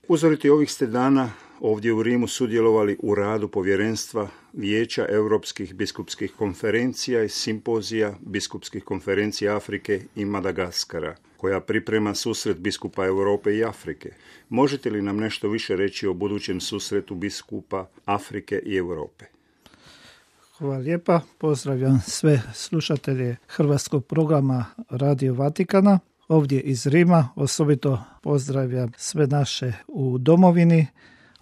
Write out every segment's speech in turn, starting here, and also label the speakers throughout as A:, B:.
A: Uzoriti ovih ste dana ovdje u Rimu sudjelovali u radu povjerenstva Vijeća Europskih biskupskih konferencija i simpozija biskupskih konferencija Afrike i Madagaskara, koja priprema susret biskupa Europe i Afrike. Možete li nam nešto više reći o budućem susretu biskupa Afrike i Europe?
B: Hvala lijepa. Pozdravljam sve slušatelje hrvatskog programa Radio Vatikana. Ovdje iz Rima osobito pozdravljam sve naše u domovini.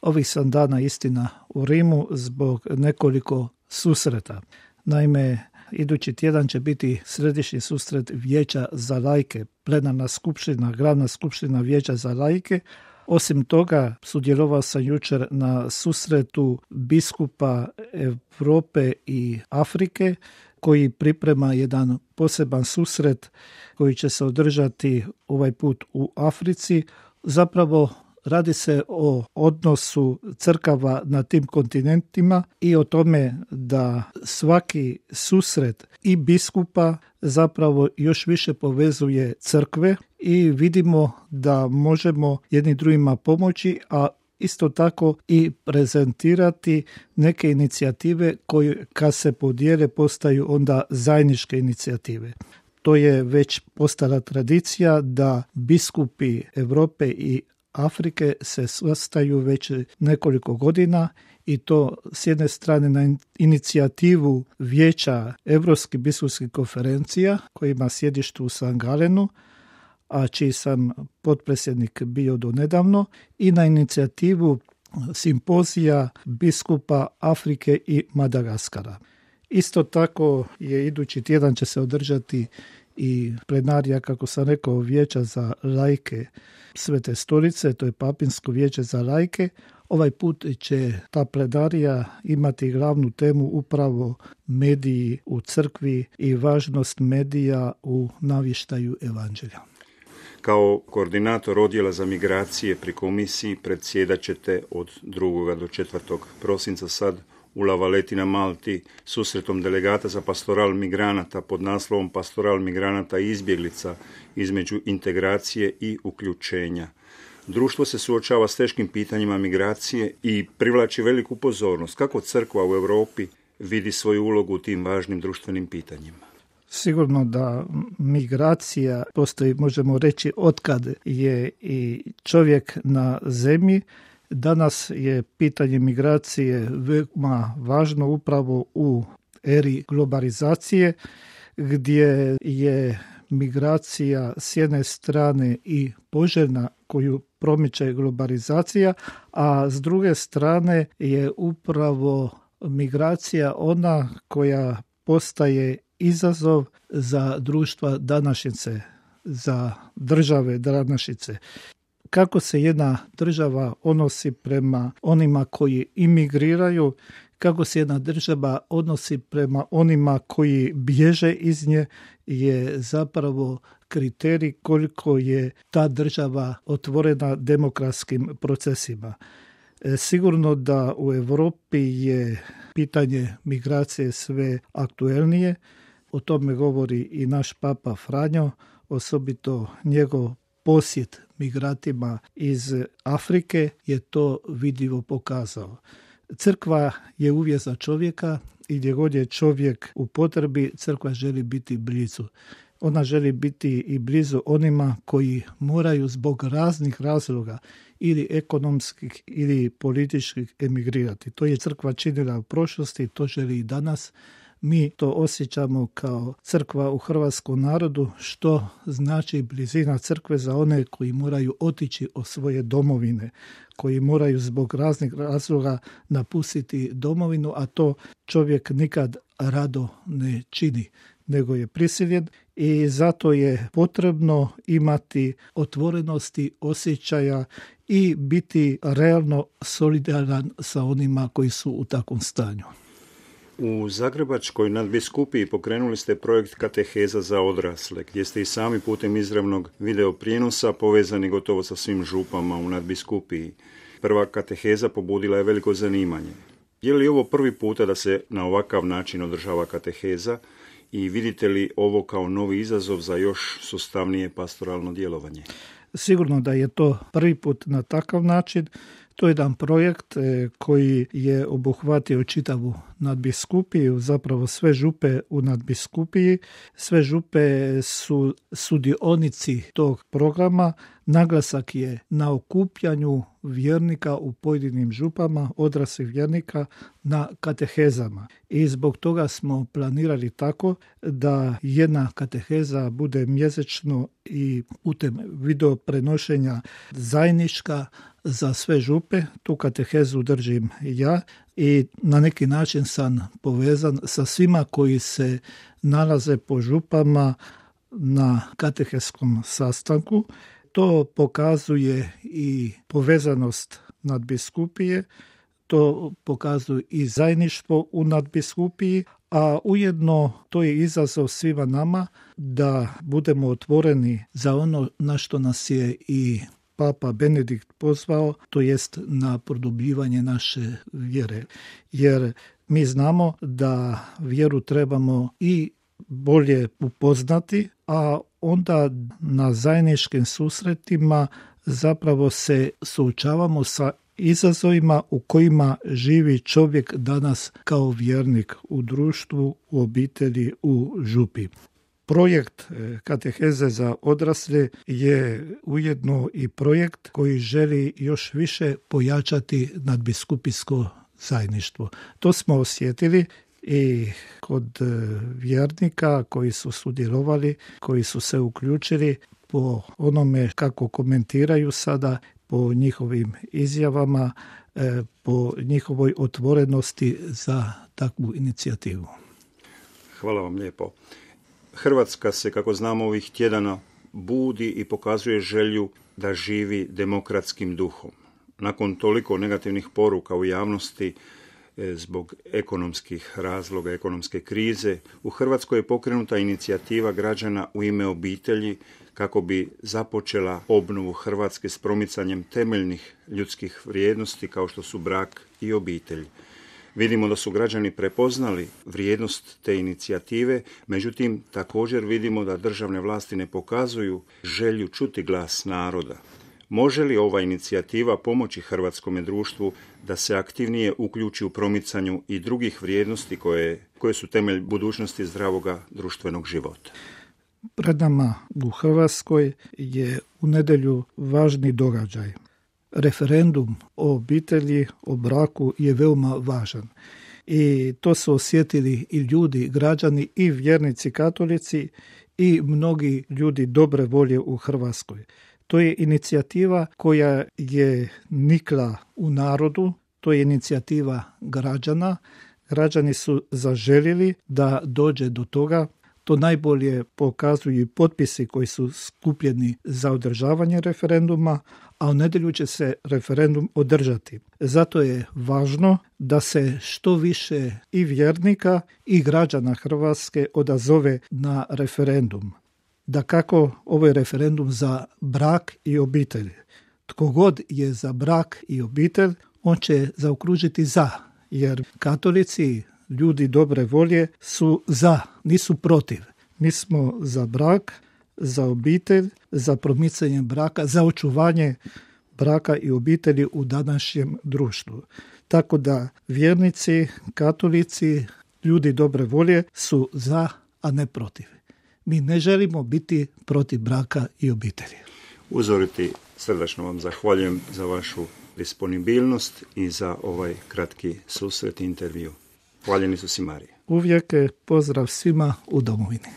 B: Ovih sam dana istina u Rimu zbog nekoliko susreta. Naime, idući tjedan će biti središnji susret Vijeća za laike, plenarna skupština, glavna skupština Vijeća za laike. Osim toga, sudjelovao sam jučer na susretu biskupa Europe i Afrike, koji priprema jedan poseban susret koji će se održati ovaj put u Africi. Zapravo radi se o odnosu crkava na tim kontinentima i o tome da svaki susret i biskupa zapravo još više povezuje crkve i vidimo da možemo jedni drugima pomoći, a isto tako i prezentirati neke inicijative koje kad se podijele postaju onda zajedničke inicijative. To je već postala tradicija da biskupi Europe i Afrike se sastaju već nekoliko godina i to s jedne strane na inicijativu Vijeća Europskih biskupskih konferencija koji ima sjedište u San Galenu, a čiji sam potpredsjednik bio do nedavno, i na inicijativu simpozija biskupa Afrike i Madagaskara. Isto tako je idući tjedan će se održati i plenarija, kako sam rekao, Vijeća za laike Svete Stolice, to je Papinsko vijeće za laike. Ovaj put će ta plenarija imati glavnu temu upravo mediji u crkvi i važnost medija u navještaju evanđelja.
A: Kao koordinator odjela za migracije pri komisiji predsjedat ćete od 2. do 4. prosinca sad u La Valletti na Malti susretom delegata za pastoral migranata pod naslovom Pastoral migranata i izbjeglica između integracije i uključenja. Društvo se suočava s teškim pitanjima migracije i privlači veliku pozornost. Kako crkva u Europi vidi svoju ulogu u tim važnim društvenim pitanjima?
B: Sigurno da migracija postoji, možemo reći, otkad je i čovjek na zemlji. Danas je pitanje migracije veoma važno upravo u eri globalizacije, gdje je migracija s jedne strane i poželjna koju promiče globalizacija, a s druge strane je upravo migracija ona koja postaje izazov za društva današnjice, za države današnjice. Kako se jedna država odnosi prema onima koji imigriraju, kako se jedna država odnosi prema onima koji bježe iz nje, je zapravo kriterij koliko je ta država otvorena demokratskim procesima. Sigurno da u Europi je pitanje migracije sve aktuelnije. O tome govori i naš Papa Franjo, osobito njegov posjet migrantima iz Afrike je to vidljivo pokazao. Crkva je uvijek za čovjeka i gdje god je čovjek u potrebi, crkva želi biti blizu. Ona želi biti i blizu onima koji moraju zbog raznih razloga ili ekonomskih ili političkih emigrirati. To je crkva činila u prošlosti, to želi i danas. Mi to osjećamo kao crkva u hrvatskom narodu, što znači blizina crkve za one koji moraju otići od svoje domovine, koji moraju zbog raznih razloga napustiti domovinu, a to čovjek nikad rado ne čini, nego je prisiljen i zato je potrebno imati otvorenosti osjećaja i biti realno solidaran sa onima koji su u takvom stanju.
A: U Zagrebačkoj nadbiskupiji pokrenuli ste projekt Kateheza za odrasle, gdje ste i sami putem izravnog video prijenosa povezani gotovo sa svim župama u nadbiskupiji. Prva kateheza pobudila je veliko zanimanje. Je li ovo prvi puta da se na ovakav način održava kateheza i vidite li ovo kao novi izazov za još sustavnije pastoralno djelovanje?
B: Sigurno da je to prvi put na takav način. To je jedan projekt koji je obuhvatio čitavu nadbiskupiju, zapravo sve župe u nadbiskupiji. Sve župe su sudionici tog programa. Naglasak je na okupljanju vjernika u pojedinim župama, odraslih vjernika, na katehezama. I zbog toga smo planirali tako da jedna kateheza bude mjesečno i putem video prenošenja zajednička za sve župe. Tu katehezu držim ja i na neki način sam povezan sa svima koji se nalaze po župama na katehetskom sastanku. To pokazuje i povezanost nadbiskupije, to pokazuje i zajedništvo u nadbiskupiji, a ujedno to je izazov svima nama da budemo otvoreni za ono na što nas je i Papa Benedikt pozvao, to jest na produbljivanje naše vjere. Jer mi znamo da vjeru trebamo i bolje upoznati, a onda na zajedničkim susretima zapravo se suočavamo sa izazovima u kojima živi čovjek danas kao vjernik u društvu, u obitelji, u župi. Projekt kateheze za odrasle je ujedno i projekt koji želi još više pojačati nadbiskupijsko zajedništvo. To smo osjetili i kod vjernika koji su sudjelovali, koji su se uključili po onome kako komentiraju sada, po njihovim izjavama, po njihovoj otvorenosti za takvu inicijativu.
A: Hvala vam lijepo. Hrvatska se, kako znamo, ovih tjedana budi i pokazuje želju da živi demokratskim duhom. Nakon toliko negativnih poruka u javnosti zbog ekonomskih razloga, ekonomske krize, u Hrvatskoj je pokrenuta inicijativa građana u ime obitelji kako bi započela obnovu Hrvatske s promicanjem temeljnih ljudskih vrijednosti kao što su brak i obitelj. Vidimo da su građani prepoznali vrijednost te inicijative, međutim također vidimo da državne vlasti ne pokazuju želju čuti glas naroda. Može li ova inicijativa pomoći hrvatskome društvu da se aktivnije uključi u promicanju i drugih vrijednosti koje su temelj budućnosti zdravoga društvenog života?
B: Pred nama u Hrvatskoj je u nedjelju važni događaj. Referendum o obitelji, o braku je veoma važan. I to su osjetili i ljudi, građani, i vjernici katolici, i mnogi ljudi dobre volje u Hrvatskoj. To je inicijativa koja je nikla u narodu, to je inicijativa građana. Građani su zaželjeli da dođe do toga. To najbolje pokazuju i potpisi koji su skupljeni za održavanje referenduma, a u nedjelju će se referendum održati. Zato je važno da se što više i vjernika i građana Hrvatske odazove na referendum. Dakako, ovo je referendum za brak i obitelj. Tko god je za brak i obitelj, on će zaokružiti za, jer katolici, ljudi dobre volje, su za, nisu protiv. Mi smo za brak, za obitelj, za promicanje braka, za očuvanje braka i obitelji u današnjem društvu. Tako da vjernici, katolici, ljudi dobre volje su za, a ne protiv. Mi ne želimo biti protiv braka i obitelji.
A: Uzoriti, srdačno vam zahvaljujem za vašu disponibilnost i za ovaj kratki susret i intervju. Hvaljeni su si Marije.
B: Uvijek pozdrav svima u domovini.